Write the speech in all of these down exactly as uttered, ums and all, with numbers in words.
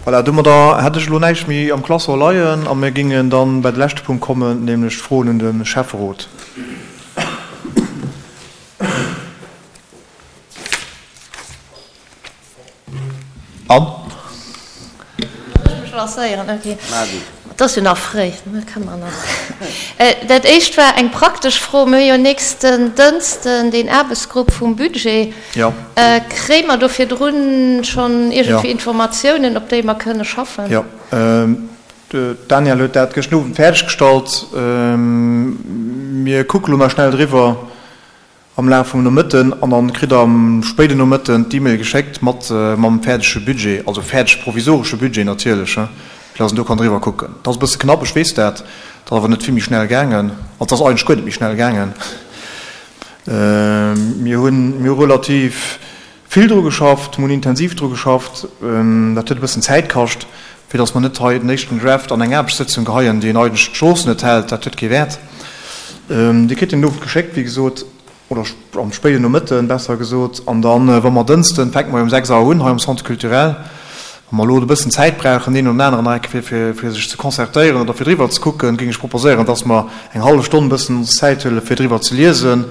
Voilà, domadder hätt ech elo näischt méi am Classeur leien a mir gingen dann bei de leschte Punkt kommen, nämlech d'Froen un de Schäfferot. Anne? Soll ech mech lancéieren? Ok. Et ass jo nach fréi, dat kënne mer nach. Dat éischt war eng praktesch Fro. Mir hu jo nächsten Dënschden deen Aarbechtsgrupp vum Budget. Jo. Kréie mer do virdrun schonn iergendwéi Informatiounen, op déi mer kënne schaffen? Jo. D'Danièle huet dat gëschten Owend fäerdeg gestallt. Mir kucke lo nach schnell driwwer. Am Laf vum Nomëtten an dann kritt der am spéiden Nomëtten d'E-Mail geschéckt mat mam fäerdege Budget, also fäerdege provisoresche Budget natierlech, fir dass en do kann driwwer kucken. Dat ass e bësse knapp, ech weess dat, dat ass awer net vill méi schnell gaangen, also et ass eigentlech guer net méi schnell gaangen. Mir hunn, mir hu relativ vill dru geschafft, mir hunn intensiv dru geschafft, dat huet e bëssen Zäit kascht, fir dass mer net hei den éischten Draft an eng Aarbechtssëtzung geheien, deen eigentlech d'Strooss net hält, dat huet kee Wäert. Dir kritt den Owend geschéckt, wéi gesot, oder am spéiden Nomëtten, besser gesot. An dann, wa mer Dënschden, fänke mer jo um sechs Auer un hei am Centre culturel, wa mer elo e bëssen Zäit brauchen, deen oder den aneren nach eng Kéier, fir, fir sech ze concertéieren oder fir driwwer ze kucken, géing ech proposéieren, dass mer eng hallef Stonn e bëssen ons Zäit huelen, fir driwwer ze liesen,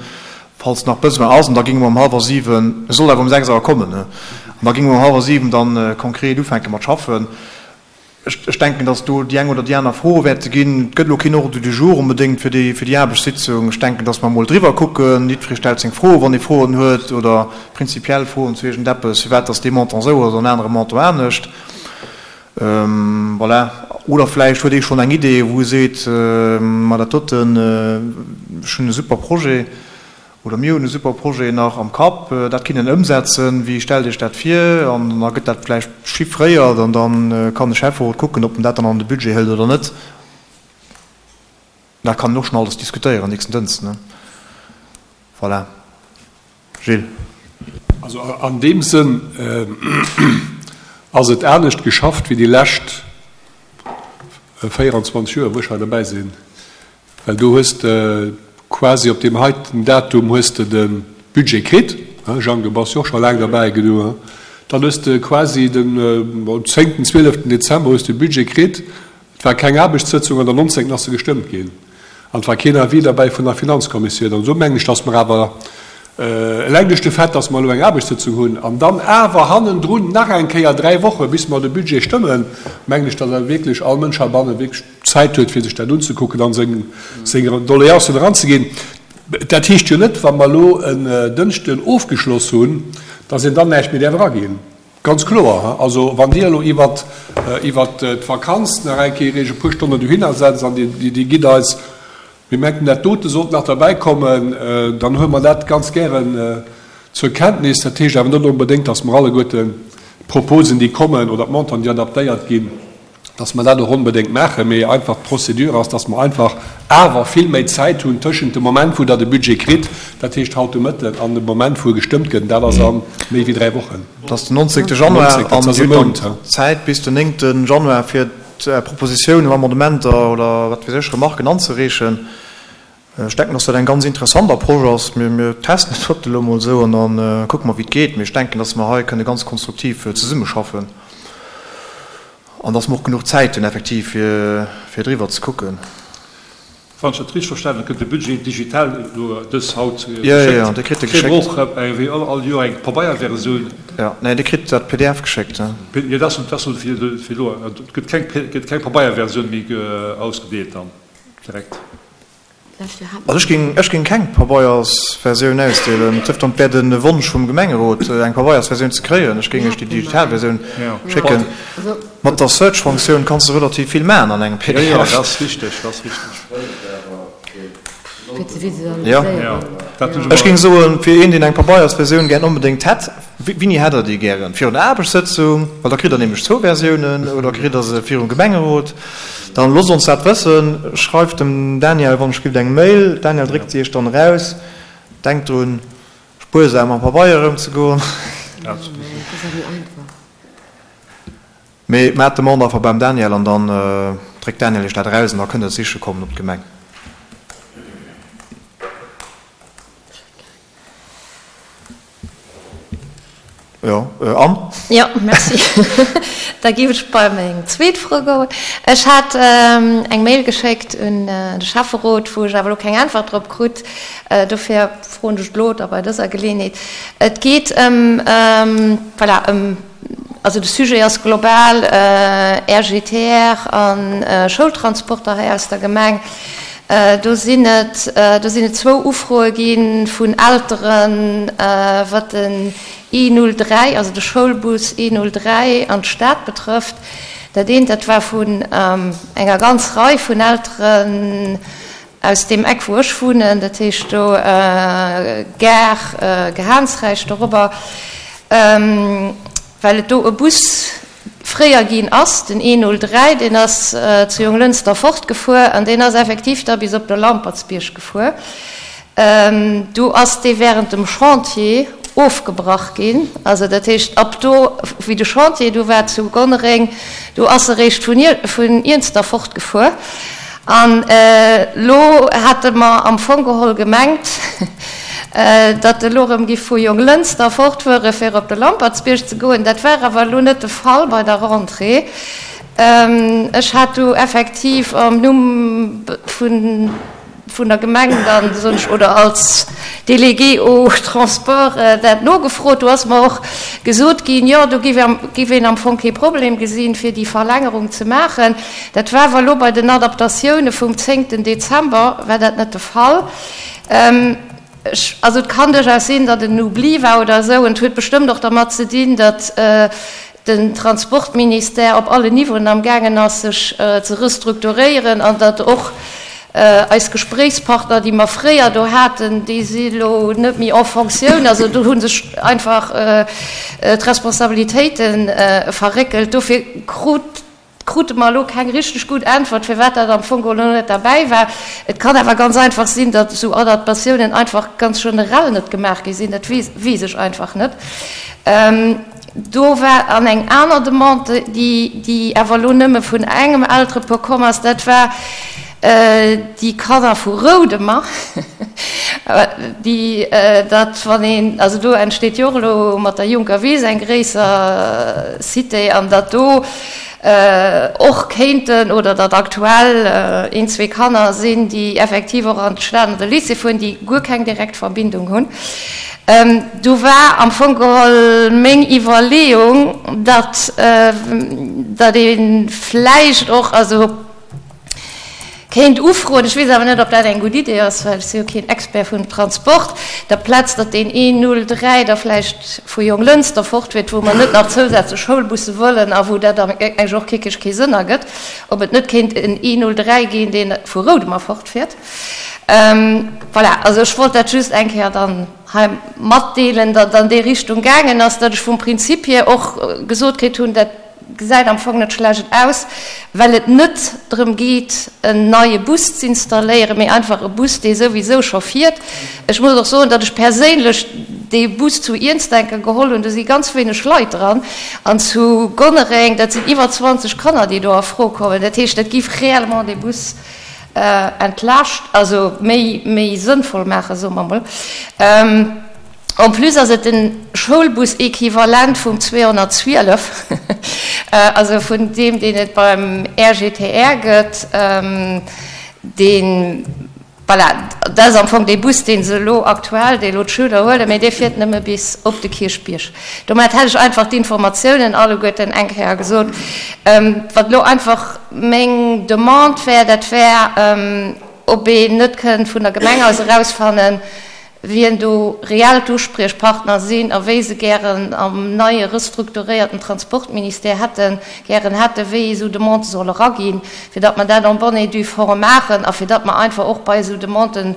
falls nach Besoin ass. An da géinge mer um hallwer siwen, e soll awer um sechs Auer kommen, ne, an da géinge mer um hallwer siwen dann konkret ufänke mat schaffen. Ech denken, dass do déi eng oder déi aner Fro wäerte ginn. Et gëtt elo keen Ordre du jour onbedéngt fir déi, fir déi Aarbechtssitzung. Ech denken, dass mer emol driwwer kucken. Jiddweree stellt seng Froen, wann ee Froen huet oder prinzipiell Froen zu iergendeppes, firwat dass dee Montant esou ass an en anere Montant anescht. Voilà. Oder vläicht huet ee schonn eng Idee, wou e seet, Ma dat doten, ech hunn e super Projet. Oder mir hunn e super Projet nach am Kapp, dat kinne ëmsetzen, wéi stellt Iech dat vir? An da gëtt dat vläicht chiffréiert an da kann de Schäfferot kucken, ob en dat dann an de Budget hëlt oder net. Dat kann een och schonn alles diskutéieren nächsten Dënschden. Voilà. Gilles. Also an deem Sënn ass et anescht geschafft wéi déi lescht véieranzwanzeg Joer, wou ech hei derbäi sinn. Well do hues de quasi op deem heiten Datum hues de de Budget kritt, Jang, du bass jo och scho laang derbäi gedu, dann hues de quasi den zéngten, zwieleften Dezember hues de Budget kritt, et war keng Aarbechtssëtzung an den nonzéngten ass e gestëmmt ginn an et war keen Avis derbäi vun der Finanzkommissioun. An esou mengen ech, datt mer awer eleng duerch de Fait, datt mer elo eng Aarbechtssëtzung hunn an dann awer hannendrun nach eng Kéier dräi Woche bis mer de Budget stëmmen, mengen ech, datt awer wierklech all Mënsch heibanne wierklech Zäit huet, fir sech dat unzekucken a seng Doleancen eranzeginn. Dat heescht jo net, wa mer elo en Dënschden ofgeschloss hunn, datt een dann näischt méi däerf eraginn. Ganz kloer. Also wann Dir elo iwwert d'Vakanz nach eng Kéier Iech e puer Stonnen dohinner setzt an Dir gitt eis, mir mengen dat dote sollt nach derbäikommen, dann huele mer dat ganz gären zur Kenntnis. Dat heescht awer net onbedéngt, datt mer alleguerten d'Proposen, déi kommen, oder d'Montanten, déi adaptéiert ginn, dass mer dat och onbedéngt maachen, mee einfach d'Procédure ass, dass mer einfach awer vill méi Zäit hunn tëschent dem Moment, wou Der de Budget kritt, dat heescht haut de Mëtten, an dem Moment, wou e gestëmmt gëtt, an dat ass a méi wéi dräi Wochen. Dat ass den nonzéngte Januar, an Dir hutt dann Zäit bis den néngte Januar, fir Propositiounen, Amendementer oder wat weess ech, Remarken anzereechen. Ech denken, dass dat eng ganz interessant Approche ass. Mir testen dat elo emol esou an da kucke mer, wéi et geet. Mee ech denken, dass mer hei kënne ganz konstruktiv zesummeschaffen. An dass mer och genuch Zäit hunn effektiv fir fir driwwer ze kucken. Wann ech dat richteg verstanen hunn, gëtt de Budget digital elo dës haut geschéckt. Jo, jo, jo, Dir kritt e geschéckt. Kréie mer och wéi all Joer eng Pabeierversioun? Jo, nee, Dir kritt dat P D F geschéckt. Jo, dat ass fir elo. Et gëtt keng, gëtt keng Pabeierversioun méi ausgedeelt dann direkt? Also ech géing, ech géing keng Pabeiersversioun ausdeelen. Et dierft dann, et wär de Wonsch vum Gemengerot, eng Pabeiersversioun ze kréien. Ech géing iech déi digital Versioun schécken. Mat der Search-Funktioun kanns de relativ vill maachen an engem P D F. Jo, dat ass richteg, dat ass richteg. Jo, ech géing soen, fir een, deen eng Pabeiersversioun gären onbedéngt hätt, Wéini hätt Der déi gären? Virun der Aarbechtssëtzung? Well da kritt Der nämlech zwou Versiounen. Oder kritt Der se virum Gemengerot? Dann loosst ons dat wëssen. Schreift dem Daniel wann ech gift eng Mail. Daniel dréckt se iech dann eraus. Denkt drun spuersam mam Pabeier ëmzegoen. Mee maacht d'Demande einfach beim Daniel an dann dréckt Daniel iech dat eraus an da kënnt der et siche kommen op d'Gemeng. Jo, an? Jo, merci. Da géif ech bei meng zweet Fro goen. Ech hat eng Mail geschéckt un de Schäfferot, wou ech awer elo keng Äntwert drop krut. Dofir froen ech et elo da bei dëser Geleeënheet. Et geet ëm, voilà, ëm, also de Sujet ass global R G T R a Schoultransporter hei aus der Gemeng. Do sinn et, do sinn et zwou Ufroe gi vun Elteren, wat den E null dräi, also de Schoulbus E null dräi an d'Stad betrëfft. Dat eent, dat war vun enger ganz Rei vun Elteren aus deem Eck, wou ech wunnen, dat heescht do Gare, Gehaansräich dorobber, well et do e Bus fréier ginn ass, den E null dräi, deen ass zu Jonglënster fortgefuer an deen ass effektiv da bis op de Lampertsbierg gefuer. Do ass dee während dem Chantier ofgebrach ginn. Also dat heescht, ab do, wéi de Chantier do war zu Gonnereng, do ass e réischt vun vun Iernster fortgefuer. An elo hate mer am Fong geholl gemengt, datt elo erëm giff vu Jonglënster fortfuere fir op de Lampertsbierg ze goen. Dat war awer elo net de Fall bei der Rentrée. Ech hat do effektiv am Numm vun vun der Gemeng dann, soen ech, oder als Délégué au transport dat nogefrot. Do ass mer och gesot ginn, jo, do giff een am Fong kee Problem gesinn, fir déi Verlängerung ze maachen. Dat war awer elo bei den Adaptatioune vum zéngten Dezember war dat net de Fall. Ech, also et kann duerchaus sinn, datt en Oubli war oder esou. Et huet bestëmmt och dermat ze dinn, datt den Transportministère op allen Niveauen amgaangen ass, sech ze restrukturéieren an datt och eis Gespréichspartner, déi mer fréier do haten, déi si elo net méi en Fonctioun. Also do hu sech einfach d'Responsabilitéite verréckelt. Dofir krut, krute mer elo keng richteg gutt Äntwert, firwat dat am Fong elo net derbäi war. Et kann awer ganz einfach sinn, datt esou Adaptatiounen einfach ganz generell net gemaach gi sinn. Dat weess, weess ech einfach net. Do war an eng aner Demande, déi, déi awer elo nëmme vun engem Elterepuer komm ass, dat war déi Kanner vu Roudemer, déi dat, wann een, also do entsteet jo och elo mat der Juncker Wiss eng gréisser Cité, an datt do och kéinten oder datt aktuell een, zwee Kanner sinn, déi effektiv och an d'Stad an de Lycée fueren, déi guer keng direkt Verbindung hunn. Do war am Fong geholl meng Iwwerleeung, datt, datt ee vläicht och, also kéint ufroen, ech weess awer net, ob dat eng gutt Idee ass, well ech si jo keen Expert vum Transport, der Plaz, datt deen E null dräi da vläicht vu Jonglënster fortfiert, wou mer net nach zousätzlech Schoulbusse wëllen a wou dat eigentlech och kickeg kee Sënn ergëtt, ob et net kéint en E null dräi ginn, dee vu Roudemer fortfiert. Voilà, also ech wollt dat just eng Kéier dann hei matdeelen, datt an déi Richtung gaangen ass, datt ech vum Prinzip hier och gesot kritt hunn, dat gesäit am Fong net schlecht aus, well et net drëm geet, en neie Bus z'installéieren, mee einfach e Bus, dee souwisou scho fiert. Ech muss och soen, datt ech perséinlech dee Bus zu Iernstenke geholl hunn, do si ganz wéineg Leit dran, an zu Gonnereng, dat sinn iwwer zwanzeg Kanner, déi do a Fro kommen. Dat heescht, dat giff réellement dee Bus entlaascht, also méi, méi sënnvoll maachen, soe mer emol. En plus ass et den Schoulbus-Equivalent vum zweehonnertzwielef, also vun deem, deen et beim R G T R gëtt, deen, voilà, dat ass am Fong dee Bus, deen se elo aktuell, dee elo d'Schüler huelen, mee dee fiert nëmme bis op de Kierchbierg. Domat hätt ech einfach d'Informatiounen alleguerten eng Kéier gesot. Wat elo einfach meng Demande wär, dat wär, ob een net kënnt vun der Gemeng aus erausfannen, wien do reell d'Uspriechpartner sinn a wéi se gären am neie restrukturéierten Transportministère hätten, gären hätten, wéi esou Demandë solle eraginn, fir datt mer dat en bonne et due forme maachen a fir datt mer einfach och bei esou Demanden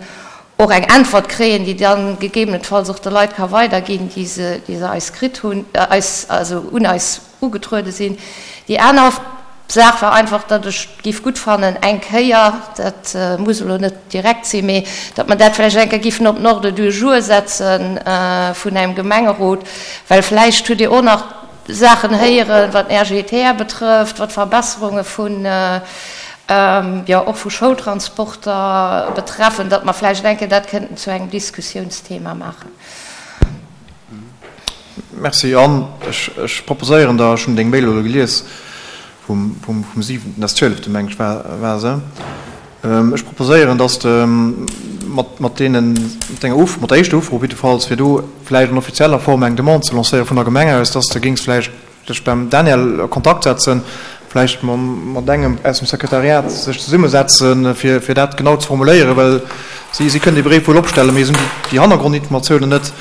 och eng Äntwert kréien, déi dann gegebenenfalls och de Leit ka weiderginn, déi se, déi se eis kritt hunn, eis, also un eis ugetruede sinn. Déi aner Saach war einfach, datt ech giff gutt fannen, eng Kéier, dat muss elo net direkt sinn, mee datt mer dat vläicht eng Kéier giffen op den Ordre du jour setzen vun engem Gemengerot, well vläicht hutt Dir och nach Saachen héieren, wat den R G T R betrëfft, wat Verbesserunge vun, jo, och vu Schoultransporter betreffen, datt mer vläicht eng Kéier dat kënnten zu engem Diskussiounsthema maachen. Merci. An ech, ech proposéieren der, ech hunn deng Mail elo gelies vum, vum, vum siwenten, das zwielefte meng ech war, war se. Ech proposéieren, dass de mat, mat deenen, mat denger Uf, mat der éischter Ufro jiddefalls, fir do vläicht an offizieller Form eng Demande ze lancéieren vun der Gemeng aus, dass de géings vläicht dech beim Daniel a Kontakt setzen, vläicht mat engem aus dem Sekretariat sech zesummesetzen, fir, fir dat genau ze formuléieren, well si, si kënnen dee Bréif wuel opstellen, mee se hunn déi Hannergrondinformatiounen net.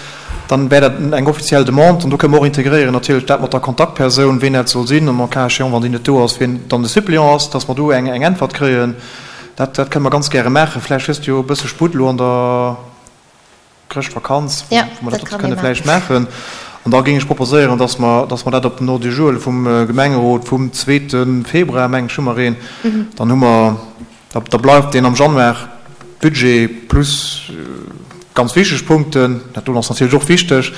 Dann wär dat eng offiziell Demande an do kënne mer och integréieren natierlech dat mat der Kontaktpersoun, ween dat soll sinn an en cas échéant, wann déi net do ass, wien dann de Suppléant ass, dass mer do eng, eng Äntwert kréien. Dat, dat kënne mer ganz gäre maachen. Vläicht hues de jo e bësse Sputt elo an der Chrëschtvakanz, wou mer dat och kënne vläicht maachen. An da géing ech proposéieren, dass mer, dass mer dat op den Ordre du jour vum Gemengerot vum zweete Februar, meng ech, hu mer een, dann hu mer, da, da bleift deen am Januar Budget plus ganz wichteg Punkten, dat do ass natierlech och wichteg,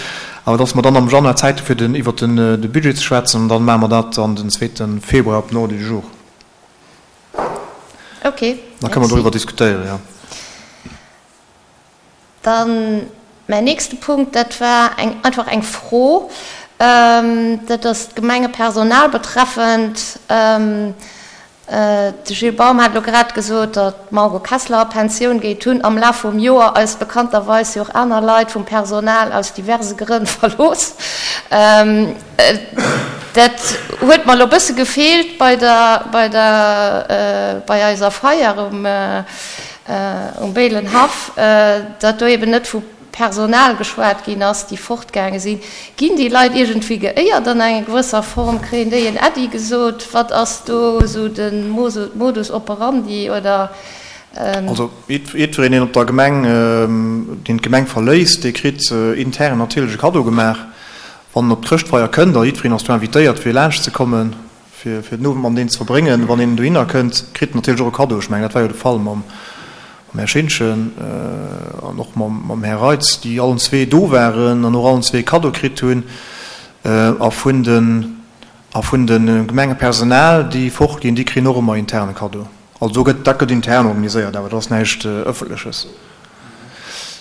awer dass mer dann am Januar Zäit hu fir den, iwwert den, de Budget ze schwätzen an dann maache mer dat dann den zweete Februar op den Ordre du jour. Ok, Da kënne mer doriwwer diskutéieren, jo. Dann mäin nächste Punkt, dat war eng, einfach eng Fro, dat ass d'Gemengepersonal betreffend. De Gilles Baum hat elo grad gesot, datt d'Margot Kessler a Pensioun geet. Hunn am Laf vum Joer eis bekannterweis jo och aner Leit vum Personal aus diverse Grënn verlooss. Dat huet mer elo e bësse gefeelt bei der, bei der, bei eiser Feier um, um Béilenhaff, datt do eben net vu Personal geschwat ginn ass, déi fortgaange sinn. Ginn déi Leit iergendwéi geéiert an enger gewësser Form? Kréien déi en Äddi gesot? Wat ass do esou de Modus operandi oder? Also jiddwereen, deen op der Gemeng, deen d'Gemeng verléisst, dee kritt intern natierlech e Kaddo gemaach, wann en op d'Chrëschtfeier kënnt. A jiddwereen ass do invitéiert, fir laanschtzekommen, fir den Owend mat deen ze verbréngen. Wann een dohinner kënnt, kritt en natierlech och e Kaddo. Ech mengen, dat war jo de Fall mam Här Schintgen an och mam Här Reitz, déi allen zwee do waren an och allen zwee e Kaddo kritt hunn. A vun den, a vun de Gemengepersonal, déi fortginn, déi kréien och ëmmer intern e Kaddo. Also do gëtt, dat gëtt intern organiséiert, awer dat ass näischt Ëffentleches.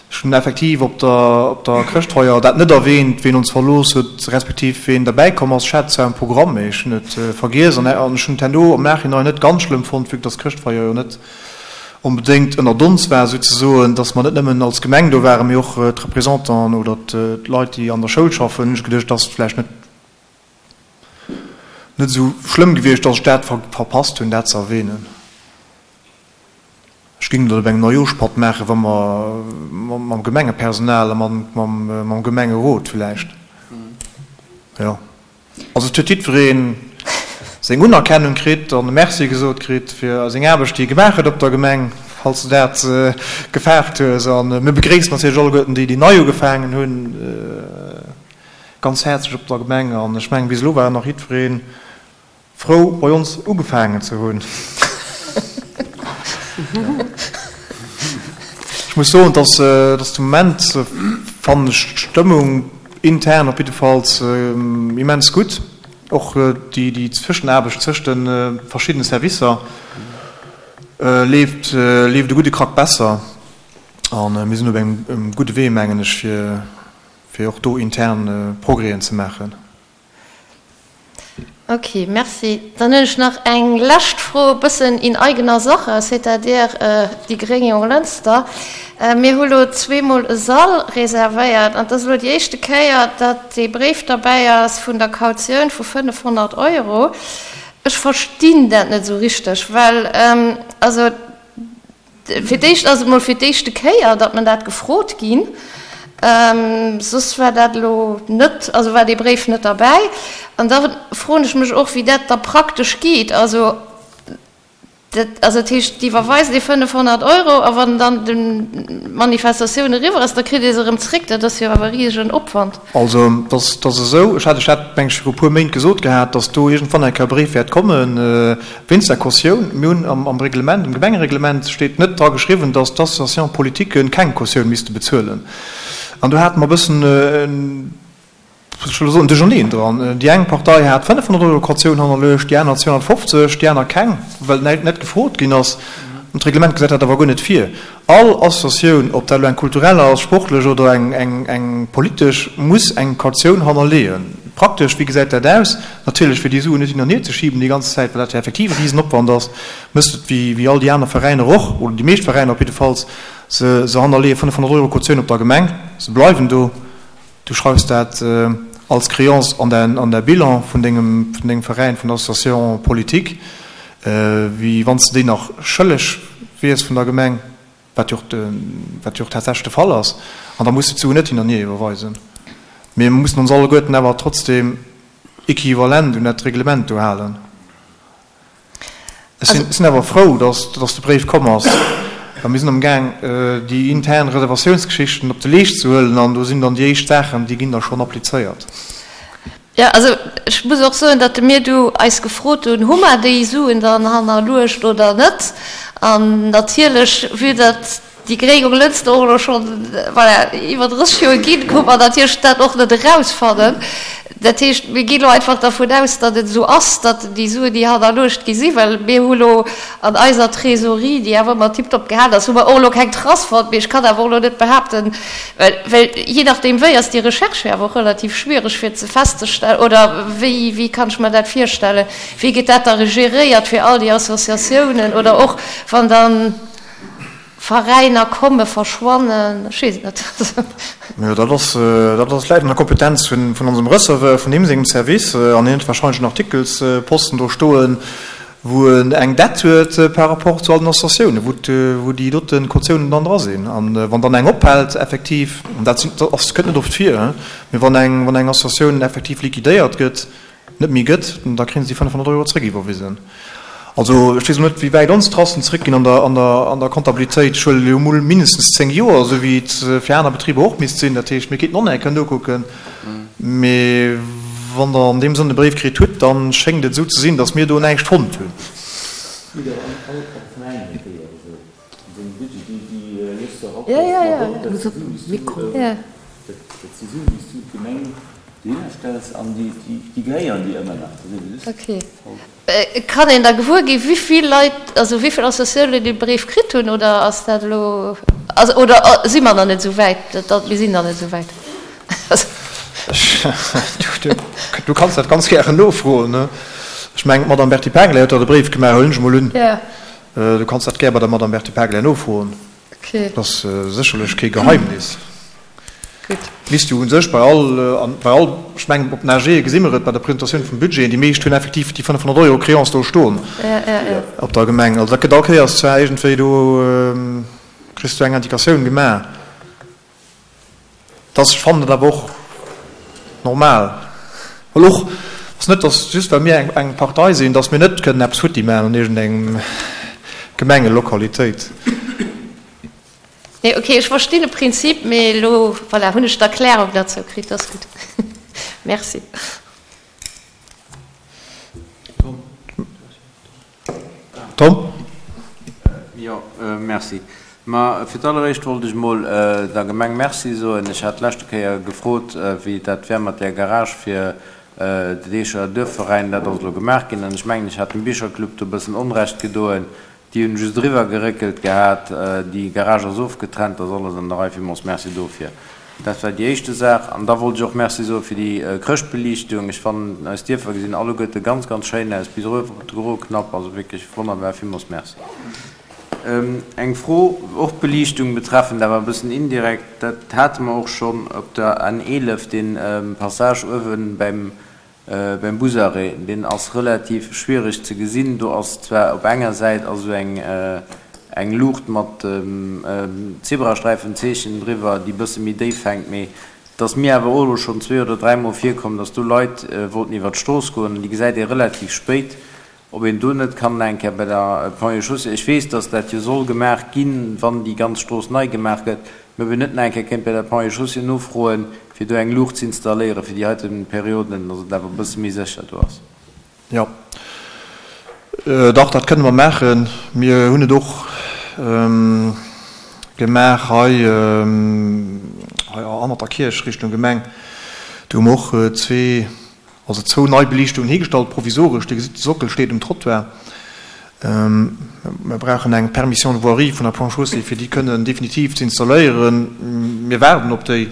Ech hunn effektiv op der, op der Chrëschtfeier dat net erwähnt, ween ons verlooss huet, respektiv ween derbäikomm ass. Ech hat zwar um Programm, mee ech hunn et vergiess an ech hunn et herno am Nachhinein net ganz schlëmm fonnt, vue que dass d'Chrëschtfeier jo net onbedéngt ënnert ons war souzesoen, dass mer net nëmmen als Gemeng do waren, mee och d'Représentanten oder d'Leit, déi an der Schoul schaffen, hunn ech geduecht, dass et vläicht net net esou schlëmm gewiescht, dass ech dat verpasst hunn, dat ze erwähnen. Ech géing dat op engem Neijooschpatt maachen, wa mer mam Gemengepersonal a mam Gemengerot vläicht. Jo. Also et huet jiddweree seng Unerkennung kritt an e Merci gesot kritt fir seng Aarbecht, déi e gemaach huet op der Gemeng, falls de dat gefaart hues. A mir begréissen natierlech alleguerten déi, déi nei ugefaangen hunn, ganz häerzlech op der Gemeng. An ech mengen, bis elo war nach jiddweree frou, bei ons ugefaangen ze hunn. Ech muss soen, dass de Moment, fannen ech d'Stëmmung intern op jiddefalls immens gutt. Och déi Zwëschenaarbecht zwëscht de verschiddene Servicer leeft e gudde Krack besser. A mir sinn op engem gudde Wee, mengen ech, fir och do intern Progrèsen ze maachen. Ok, merci. Dann hunn ech nach eng lescht Fro, e bëssen in eigener Sache, c'est-à-dire déi gréng Jonglënster. Mir hu lo zweemol e Sall reservéiert an et ass elo déi éischte Kéier, datt dee Bréif derbäi ass vun der Kautioun vu fënnefhonnert Euro. Ech verstinn dat net esou richteg, well also fir d'éischt ass et mol fir d'éischte Kéier, datt mer dat gefrot ginn. Soss war dat elo net, also war dee Bréif net derbäi. An da froen ech mech och, wéi dat da praktesch geet. Also dat, also dat heescht, déi iwwerweisen déi fënnefhonnert Euro a wann dann d'Manifestatioun eriwwer ass, da kritt ee se erëm zréck. Dat ass jo awer e risegen Opwand. Also dat ass esou, ech hat ech dat, meng ech, viru e puer Méint gesot gehat, datt do iergendwann eng Kéier e Bréif wäert kommen wéinst der Kautioun. Mir hunn am Reglement, am Gemengereglement steet net dra geschriwwen, datt d'Associations politiques keng Kautioun misste bezuelen. An do hate mer e bëssen, ech wëll soen, Duercherneen dran. Déi eng Partei hat fënnefhonnert Euro Kautioun hannerluecht, déi aner zweehonnertfofzeg, déi aner keng, well net gefrot ginn ass. D'Reglement gesäit dat awer guer net vir. All Associatioun, ob dat elo eng kulturell ass, sportlech oder eng, eng, eng politesch, muss eng Kautioun hannerleeën. Praktesch, wéi gesäit dat aus? Natierlech, fir déi Suen net hin an hier ze schiben déi ganz Zäit, well dat jo effektiv e Risenopwand ass, mësst et, wéi, wéi all déi aner Veräiner och, oder déi meescht Veräiner op jiddefalls, se, se hannerleeë fënnefhonnert Euro Kautioun op der Gemeng. Se bleiwen do. Du schreifs dat als Créance an däin, an däi Bilan vun dengem, vun dengem Veräin, vun der Association politique. Wéi wann s de déi nach schëlleg wiers vun der Gemeng, wat jo och, wat jo och tatsächlech de Fall ass, an da muss de d'Suen net hin an hier iwwerweisen. Mee mir mussen ons alleguerten awer trotzdem equivalent un dat Reglement do halen. Ech sinn, sinn awer frou, dass, dass de Bréif komm ass, well mir sinn amgaang, déi intern Reservatiounsgeschichten op de Leescht ze huelen, an do sinn dann déi éischt Saachen, déi ginn da schonn applizéiert. Jo, also ech muss och soen, datt mir du eis gefrot hunn, Hu mer déi Suen dann hannerluecht oder net? An natierlech, vue datt déi Gréng um Lënster och elo schonn, voilà, iwwer drësseg Joer ginn, konnt mer natierlech dat och net erausfannen. Dat heescht, mir ginn elo einfach dervun aus, datt et esou ass, datt déi Suen, déi hannerluecht gi sinn, well mir hu lo an eiser Trésorerie, déi awer ëmmer tiptop gehalen ass, hu mer och elo keng Trace fonnt. Mee ech kann awer och elo net behaapten, well, well jee nachdeem wéi ass déi Recherche jo awer och relativ schwiereg fir ze festzestellen, oder wéi, wéi kann ech mer dat virstellen, wéi gëtt dat da geréiert fir all déi Associatiounen oder och wann dann Veräiner komme, verschwannen, ech weess et net. Jo, dat ass, dat ass, läit an der Kompetenz vun, vun onsem Receveur, vun deem sengem Service, an hien huet wahrscheinlech en Artikelsposten do stoen, wou en eng Dett huet par rapport zu all den Associatiounen, wou, wou déi dote Kautiounen dann dra sinn. An wann dann eng ophält effektiv, an dat sinn, dat ass, kënnt net oft vir, mee wann eng, wann eng Associatioun effektiv liquidéiert gëtt, net méi gëtt, da kréie se déi fënnfhonnert Euro zréck iwwerwisen. Also ech weess elo net, wéi wäit ons Tracen zréckginn an der, an der, an der Comptabilitéit. Ech huelen elo emol mindestens zéng Joer, esou wéi et fir aner Betriber och misst sinn. Dat heescht, mir kéinten och nach eng Kéier nokucken. Mee wann Der an deem Sënn e Bréif kritt hutt, da schéngt et esou ze sinn, datt mir do näischt fonnt hunn. Kann een da gewuer ginn, wéivill Leit, also wéivill Associatiounen dee Bréif kritt hunn, oder ass dat elo, also, oder si mer nach net esou wäit, dat, mir sinn nach net esou wäit? Du kanns dat ganz gären nofroen. Ech mengen, d'Madame Berthy Pengler huet der de Bréif gemaach, huelen ech emol un. Du kanns dat gär bei der Madame Berthy Pengler nofroen. Dat ass sécherlech kee Geheimnis. Misst jo u sech bei all, bei all, ech mengen op den A G gesi mer et bei der Presentatioun vum Budget, déi meescht hunn effektiv déi fënnfhonnert Euro Créance do stoen op der Gemeng. Also dat gëtt all Kéiers zwar iergendwéi do, kriss du eng Indikatioun gemaach. Dass, ech fannen et awer och normal, well och ass net, dass just well mir eng Partei sinn, dass mir net kënnen eppes futti maachen an iergendengem Gemengelokalitéit. Nee, ok, ech verstinn de Prinzip, mee elo, voilà, hunn ech d'Erklärung derzou kritt, dat ass gutt. Merci. Tom? Jo, merci. Ma fir d'alleréischt wollt ech emol der Gemeng Merci soen. Ech hat d'leschte Kéier gefrot, wéi dat wär mat där Garage fir den Eecher Duerfveräin. Dat ass elo gemaach ginn. An ech mengen, ech hat dem Bicherclub do e bëssen Onrecht gedoen. Déi hunn just eriwwer geréckelt gehat. Déi Garage ass ofgetrennt, ass alles an der Rei. Villmools Merci dofir. Dat war déi éischte Saach. An da wollt ech och Merci soe fir déi Chrëschtbeliichtung. Ech fannen, eis Dierfer gesinn alleguerte ganz, ganz schéin aus, bis erof op de groe Knapp. Also wierklech wonnerbar. Villmools Merci. Eng Fro, och d'Beliichtung betreffend, awer e bëssen indirekt, dat hate mer och schonn op der N eelef, dee Passage uewe beim Beim Busarrêt, deen ass relativ schwiereg ze gesinn. Do ass zwar op enger Säit ass esou eng eng Luucht mat Zebrasträifenzeechen driwwer, déi bësse méi déif hänkt, mee et ass mir awer och elo schonn zwee oder dräi Mol virkomm, dass do Leit wollten iwwer d'Strooss goen an déi gesäit ee relativ spéit. Ob een do net kann eng Kéier bei der Ponts et Chaussées, ech weess, dass dat jo soll gemaach ginn, wann déi ganz Strooss nei gemaach gëtt, mä ob een net nach eng Kéier kéint bei der Ponts et Chaussées nofroen, fir do eng Luucht ze installéieren fir déi heite Perioden, dass et awer e bësse méi sécher do ass. Jo, dach, dat kënne mer maachen. Mir hunn et och gemaach hei hannert der Kierch Richtung Gemeng. Do hu mer och zwee Also zwou nei Beliichtungen higestallt, provisoresch. Dir gesitt, de Sockel steet um Trottoir. Mir brauchen eng Permission de voirie vun der Ponts et Chaussées, fir déi kënnen definitiv ze installéieren. Mir waarden op déi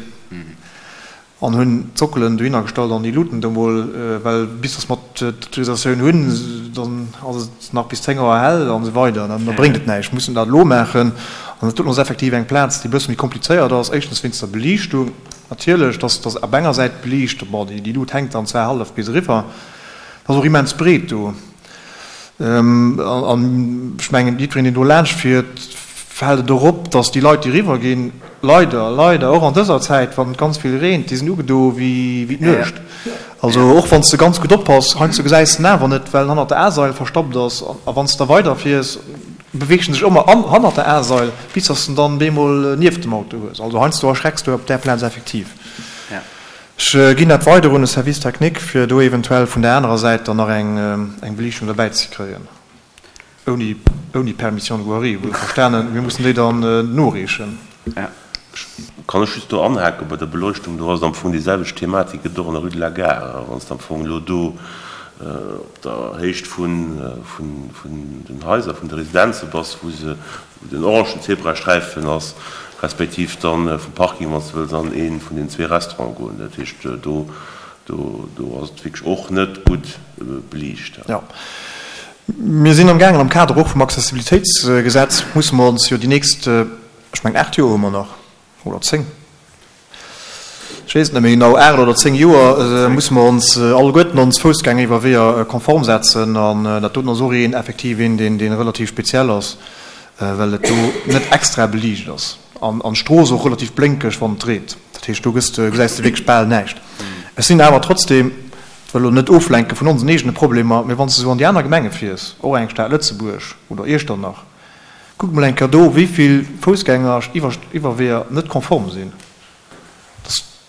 an hunn d'Sockelen dohinner gestallt an déi Luuten do mol, well bis dass mer d'Autorisatioun hunn, dann ass et nach bis zéng Auer hell an esou weider. Da bréngt et näischt. Mir mussen dat elo maachen. An dat doten ass effektiv eng Plaz, déi e bësse méi komplizéiert ass, éischtens wéinst der Beliichtung natierlech, dass dass op enger Säit beliicht, bon, déi Lut hänkt dann zwar hallef bis eriwwer, et ass och immens breet do. An ech mengen, jiddwereen, deen do laanscht fiert, fält et och op, dass déi Leit, déi eriwwer ginn, leider, leider och an dëser Zäit, wann et ganz vill reent, déi sinn ugedo wéi d'Nuecht. Also och wann s de ganz gutt oppass, heiansdo gesäis de en awer net, well en hannert der A-Sail verstoppt ass. A wann s de da weiderfiers, beweegt en sech ëmmer hannert der A-Sail, bis dass de en dann bemol nieft dem Auto hues. Also heiansdo erschrecks du op där Plaz effektiv. Ech ginn dat weider un de Service technique, fir do eventuell vun där anerer Säit dann nach eng Beliichtung derbäi ze kréien, ouni, ouni Permission de voirie, wuel verstanen. Mir mussen déi dann noreechen. Kann ech just do anhaken bei der Beleuchtung, do ass et am Fong déi selwecht Thematik, gëtt och an der Rue de la Gare. Wann s de am Fong elo do op der Héicht vun, vun, vun den Haiser, vun de Residenze bass, wou se, wou den orangen Zebrasträifen ass, respektiv dann vum Parking, wann s de wëlls an ee vun den zwee Restaurante goen. Dat heescht, do, do, do ass et wierklech och net gutt beliicht. Jo. Mir sinn amgaangen, am Kader och vum Accessibilitéitsgesetz musse mer ons jo déi nächst, ech mengen aacht Joer hu mer nach, oder zéng, ech weess et net méi genau, aacht oder zéng Joer musse mer ons alleguerten ons Foussgängeriwwerweeër konform setzen. An dat doten ass och een, effektiv een, deen, dee relativ speziell ass, well et do net extra beliicht ass an d'Strooss och relativ blénkeg, wann et reent. Dat heescht, do gëss de, gesäis de wierklech bal näischt. Ech sinn awer trotzdem, ech wëll elo net oflenke vun onsen eegene Problemer, mee wann s de esou an déi aner Gemenge fiers, och eng Stad Lëtzebuerg oder Iechternach, kuck mol eng Kéier do, wéi vill Foussgängeriwwerweeër net konform sinn.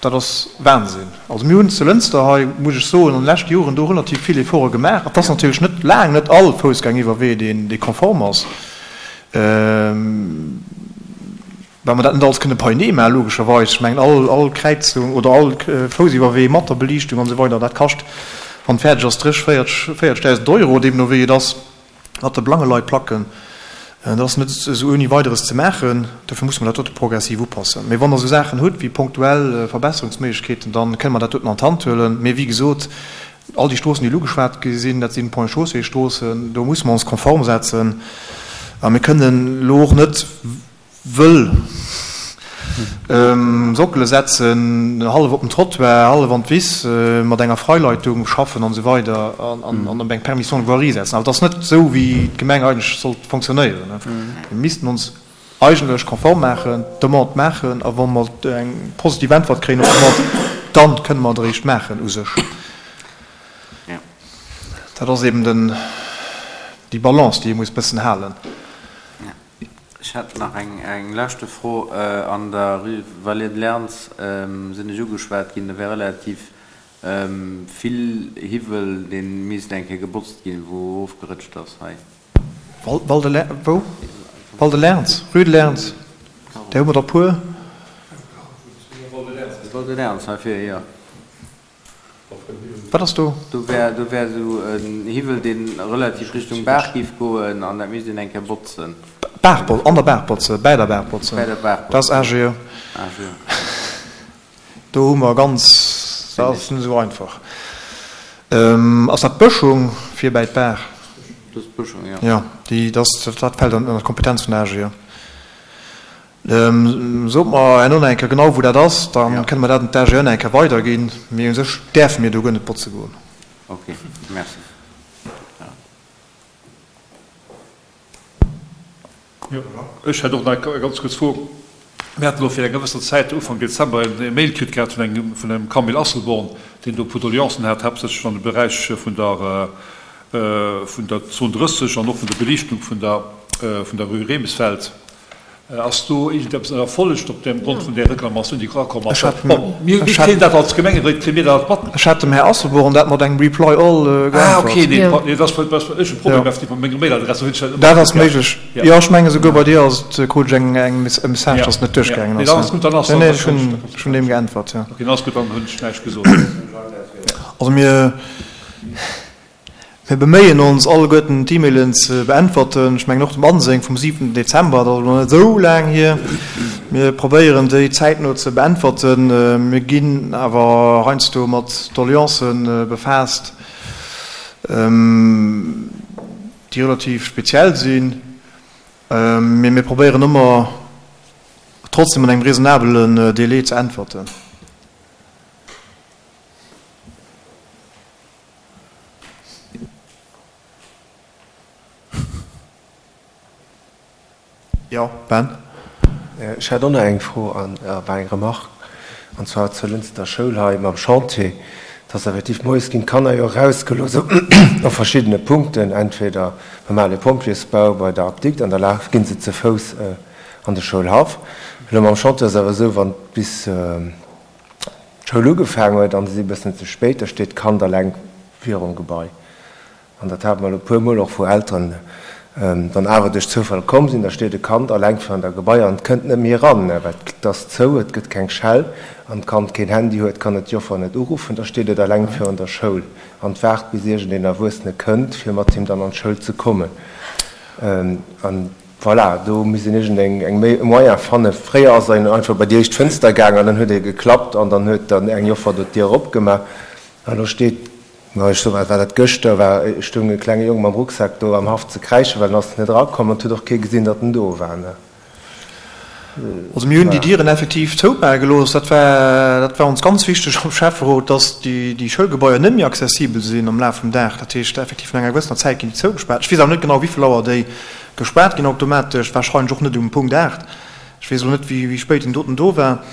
Dat ass Wahnsinn. Also mir hunn zu Lënster hei, muss ech soen, an de leschte Joren do relativ vill Efforte gemaach. Et ass natierlech net, laang net all Foussgängeriwwerwee, deen, dee konform ass, well mer dat net alles kënne beienee maachen, logescherweis. Ech mengen, all, all Kräizung oder all Foussiwwerwee mat der Beliichtung an esou weider, dat kascht, wann et fäerdeg ass, dréch, véierteg, véiertegdausend Euro, deemno wéi et ass. Mat de Blangeleitplacken, dat ass net esou ouni Weideres ze maachen. Dofir musse mer dat dote progressiv upassen. Mee wann Der esou Saachen hutt wéi ponktuell Verbesserungsméiglechkeeten, da kënne mer dat doten an d'Hand huelen. Mee wéi gesot, all déi Stroossen, déi elo ugeschwat gi sinn, dat sinn Ponts-et-Chaussées-Stroossen, do musse mer ons konform setzen. A mir kënnen elo och net wëll Sockele setzen, hallef op den Trottoir, hallef an d'Wiss, mat enger Freileitung schaffen an esou weider an op eng Permission de voirie setzen. Also et ass net esou, wéi d'Gemeng eigentlech sollt fonctionnéieren. Mir missten ons eigentlech konform maachen, d'Demande maachen a wa mer eng positiv Äntwert kréien op d'Demande, da kënne mer et eréischt maachen u sech. Dat ass eben den, déi Balance, déi ee muss bëssen halen. Ech hätt nach eng leschte Fro. An der Rue Vallée de Lerns sinn ech ugeschwat ginn, do wär relativ vill Hiwwel, dee misst eng Kéier gebotzt ginn, wou ofgerëtscht ass hei. Val de Lerns, wou? Val de Lerns, Rue de Lerns, där hu mer der puer. Val de Lerns hei vir, jo. Wat ass do? Do wär, do wär esou en Hiwwel, deen relativ Richtung Baach giff goen, an dat misst een eng Kéier botzen. Baach botzen, an der Baach botzen, bäi der Baach botzen. Bäi der Baach botzen. Dat ass AGE. AGE. Do hu mer ganz, dat ass net esou einfach. Ass dat d'Bëschung fir bäi d'Baach? Dat ass d'Bëschung, jo. Jo, déi, dat, dat fält ënner d'Kompetenz vun der AGE. Sot mer herno nach eng Kéier genau, wou dat ass, da kënne mer dat un d'AGE nach eng Kéier weiderginn. Mee u sech däerfe mir do guer net botze goen. Ok, merci. Jo, ech hätt och nach eng ganz kuerz Fro. Mir haten elo fir eng gewëssen Zäit, Ufank Dezember, e Mail kritt gehat vun engem, vun engem Camille Asselborn, deen do e puer Doleancen hat, haaptsächlech an dem Beräich vun der, vun der Zon drësseg an och vun der Beliichtung vun der, vun der Rue Remesfeld. Ass do iergendeppes erfollegt op dem Grond vun där Reklamatioun, déi erakomm ass? Bon, mir kréien dat als Gemengeréit, kréie mir dat mat. Ech hat dem Här Asselborn dat mat engem Reply all geäntwert. Ah, okay, nee, nee, dat ass vläicht ech e Problem effektiv mat menger Mailadress, do hunn ech dat ëmmer Dat ass méiglech. Jo, ech mengen esouguer bei dir ass et, krut ech eng, eng, e Message, dass et net duerchgaangen ass. Nee, dann ass gutt, dann ass. Nee, nee, ech hunn, ech hunn deem geäntwert, jo. Okay, dann ass gutt, dann hunn ech näischt gesot. Also mir. Mir beméien ons, alleguerten d'E-Mailen ze beäntwerten. Ech mengen och dem Anseng vum siwenten Dezember, dat ass elo net esou laang hier. Mir probéieren, déi zäitno ze beäntwerten. Mir ginn awer heiansdo mat Doleancë befaasst, déi relativ speziell sinn. Mee mir probéieren ëmmer, trotzdem an engem raisonnabelen Délai ze äntwerten. Jo, Ben? Ech hätt och nach eng Fro an war eng Remarque, an zwar zur Lënster Schoul hei mam Chantier. Et ass effektiv, moies ginn d'Kanner jo erausgelooss op verschiddene Punkten, entweder beim ale Pompjeesbau, bei der Apdikt, an da laf gi se ze Fouss an de Schoulhaff. Elo mam Chantier ass awer esou, wann bis d'Schoul ugefaangen huet an se si e bëssen ze spéit, da steet d'Kand eleng virum Gebai. An dat hate mer elo e puer Mol och, wou Elteren dann awer duerch Zoufall komm sinn, da steet e Kand eleng virun der Gebai an et kënnt net méi eran, well et ass zou, et gëtt keng Schell an d'Kand keen Handy huet, kann et d'Joffer net uruffen, da steet et eleng virun der Schoul an waart, bis iergendeen Erwuessene kënnt, fir mat him dann an d'Schoul ze kommen. An voilà, do misst een iergendeng eng e Moyen fannen. Fréier ass een einfach bei déi éischt Fënster gaang an dann huet ee geklappt an dann huet dann eng Joffer do d'Dier opgemaach. An elo steet, ma ech soe war dat gëschter, war, stoung e klenge Jong mam Rucksak do am Haff ze kräischen, well en ass net erakomm an et huet och kee gesinn, datt en do war. Also mir hunn déi Dieren effektiv zoumaache gelooss. Dat war, dat war ons ganz wichteg am Schäfferot, dass déi, déi Schoulgebaier net méi accessibel sinn am Laf vum Dag. Dat heescht effektiv no enger gewëssener Zäit ginn déi zougespaart. Ech weess awer net genau, wéi vill Auer déi gespaart ginn automatesch, wahrscheinlech och net um Punkt aacht. Ech weess elo net, wéi, wéi spéit deen doten do war.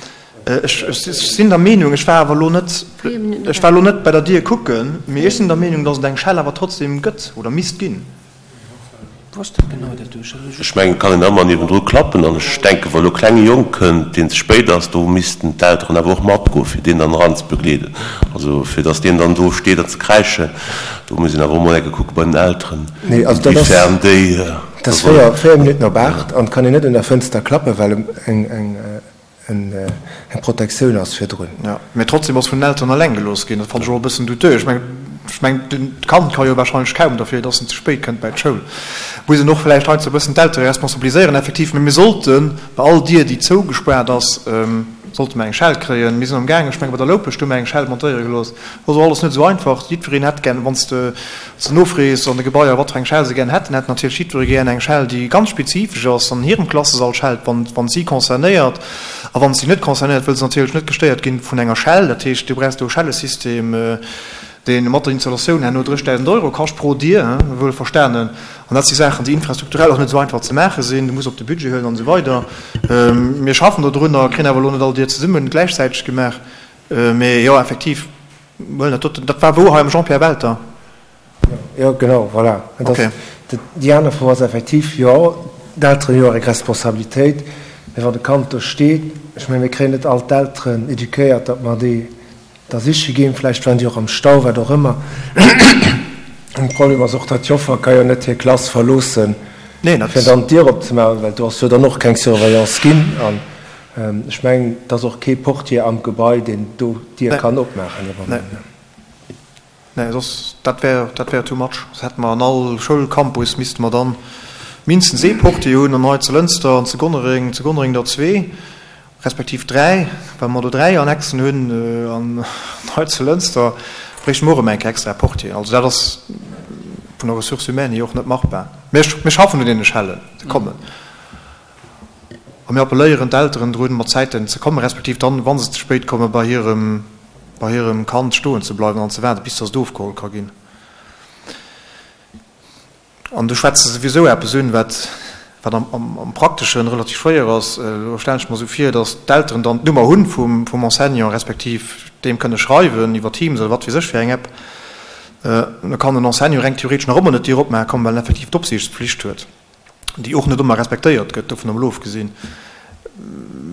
Ech, ech sinn der Meenung, ech war awer elo net, ech war elo net bei der Dier kucken, mee ech sinn der Meenung, dass et eng Schell awer trotzdem gëtt oder misst ginn. Ech mengen, et kann een ëmmer niewendru klappen. An ech denken, wa elo e klenge Jong kënnt, deen ze spéit ass, do missten d'Elteren awer och matgoen, fir deen dann eranzebegleeden. Also fir datt deen dann do steet an ze kräischen, do muss een awer och mol eng Kéier kucke bei den Elteren, inwiefern déi Et ass véier Minutten op aacht an et kann een net un der Fënster klappen, well eng eng Protektioun ass virdrun. Jo, mee trotzdem ass vun den Elteren eleng gelooss ginn. Dat fannen ech och e bëssen douteux. Ech mengen, ech mengen, d'Kand ka jo wahrscheinlech kaum derfir, dass en ze spéit kënnt bäi d'Schoul. Muss een och vläicht heiansdo e bëssen d'Eltere responsabiliséieren, effektiv. Mee mir sollte bei all Dier, déi zougespaart ass, sollte mer eng Schell kréien. Mir sinn am gaang, ech menge bei der Loupescht hu mer eng Schell montéiere gelooss. Dat ass och alles net esou einfach. Jiddwereen hätt gär, wann s de se nofrees an de Gebaier, wat fir eng Schell se gär hätten, hätt natierlech jiddweree gär eng Schell, déi ganz spezifesch ass, an hirem Klassesall schellt, wann wann si concernéiert. A wann si net concernéiert, wëll se natierlech net gestéiert ginn vun enger Schell. Dat heescht, du brauchs do e Schellesystem, dee mat der Installatioun herno dréchdausend Euro kascht pro Dier, wuel verstanen. An dat si Saachen, déi infrastrukturell och net esou einfach ze maache sinn. Du muss op de Budget huelen an esou weider. Mir schaffen dodrunner, kréien awer elo net all Dier zesumme gläichzäiteg gemaach. Mee jo, effektiv, huelen dat doten. Dat war wou? Hei am Jean-Pierre Welter? Jo, genau, voilà. Et ass, déi aner Fro ass effektiv, jo, d'Elteren hu jo och eng Responsabilitéit, mee wann e Kand do steet, ech mengen, mir kréien net all d'Elteren éduquéiert, datt mer déi da siche ginn, vläicht waren déi och am Stau, wat och ëmmer. An de Problem ass och, datt d'Joffer ka jo net hir Klass verloossen, fir dann d'Dier opzemaachen, well do ass jo dann och keng Surveillance ginn. An ech mengen, et ass och kee Portier am Gebai, deen do d'Dier kann opmaachen. Nee, soss, dat wär, dat wär too much. Soss hätte mer an all Schoulcampus misste mer dann mindestens ee Portier hunn, an hei zu Lënster an zu Gonnereng, zu Gonnereng der zwee, respektiv dräi, well mer do dräi Annexen hunn, an hei zu Lënster bréichte mer och erëm eng Kéier extra Portieren. Also dat ass vun der Ressource humaine hier och net machbar. Mä mir schaffen un deene Schellen, se kommen. A mir appelléieren d'Elteren drun, mat Zäiten ze kommen, respektiv dann, wa se ze spéit kommen, bei hirem, bei hirem Kand stoen ze bleiwen an ze waarden, bis dass et ofgeholl ka ginn. An do schwätze se souwisou eppes un, wat, wat am, am, am Prakteschen relativ schwéier ass. Elo stellen ech mer esou vir, dass d'Elteren dann d'Nummer hunn vum, vum Enseignant, respektiv deem kënne schreiwen iwwer Teams oder wat weess ech fir eng App. Da kann den Enseignant reng theoretesch nach ëmmer net d'Dier opmaache kommen, well en effektiv d'Opsiichtspflicht huet. déi och net ëmmer respektéiert gëtt, dovun emol ofgesinn.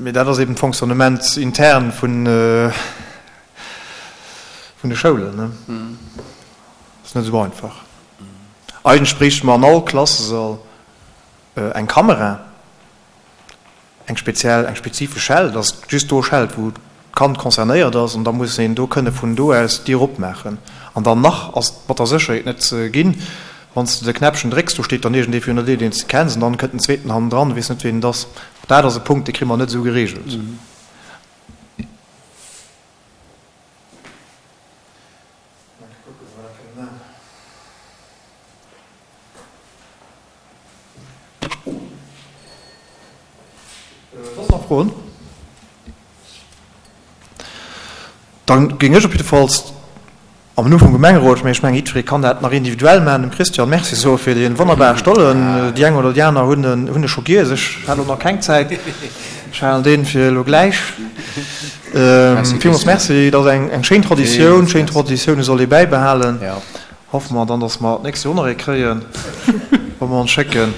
Mee dat ass eben d'Fonctionnement intern vun vun de Schoulen. Dat ass net esou einfach. Eigentlech bréichte mer an all Klassesall eng Kamera, eng speziell, eng spezifesch Schell, dass just do schellt, wou Kand concernéiert ass an da muss een do kënne vun do aus d'Dier opmaachen. An dann nach ass et mat der Sécherheet net ginn, wann s de de Knäppchen drécks, do steet dann iergendee virun der Dier, deen s de kenns, an dann kënnt en zweeten hannendran, du weess net, wien et ass. Dat ass e Punkt, dee kri mer net esou geregelt. Soss nach Froen? Dann géing ech op jiddefalls am Numm vum Gemengerot, mä ech mengen jiddweree kann dat nach individuell maachen, dem Christian Merci soe fir dee wonnerbare Stollen. Déi eng oder déi aner hunn en hunn e scho giess, ech hat elo nach keng Zäit. Ech halen deen fir elo gläich. Villmools Merci, et ass eng eng schéin Traditioun. Schéin Traditioune soll ee bäibehalen. Hoffe mer dann, dass mer d'nächst Joer och nach ee kréien, wa mer ons schécken.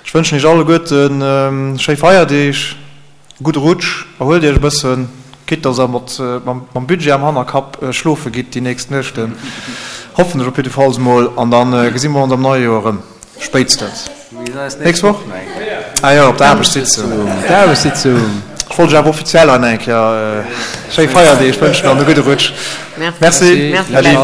Ech wënschen Iech alleguerten schéi Feierdeeg, e gudde Rutsch, erhuelt Iech e bëssen, quitte dass Der mat mam Budget am Hannerkapp schlofe gitt déi nächst Nuechten, hoffen ech op jiddefalls emol, an da gesi mer ons am neie Joer erëm, spéitstens nächst Woch, ah jo, op der Aarbechtssitzung. Ech wollt Iech awer offiziell hei nach eng Kéier schéi Feierdeeg wënschen an e gudde Rutsch. Merci. Äddi.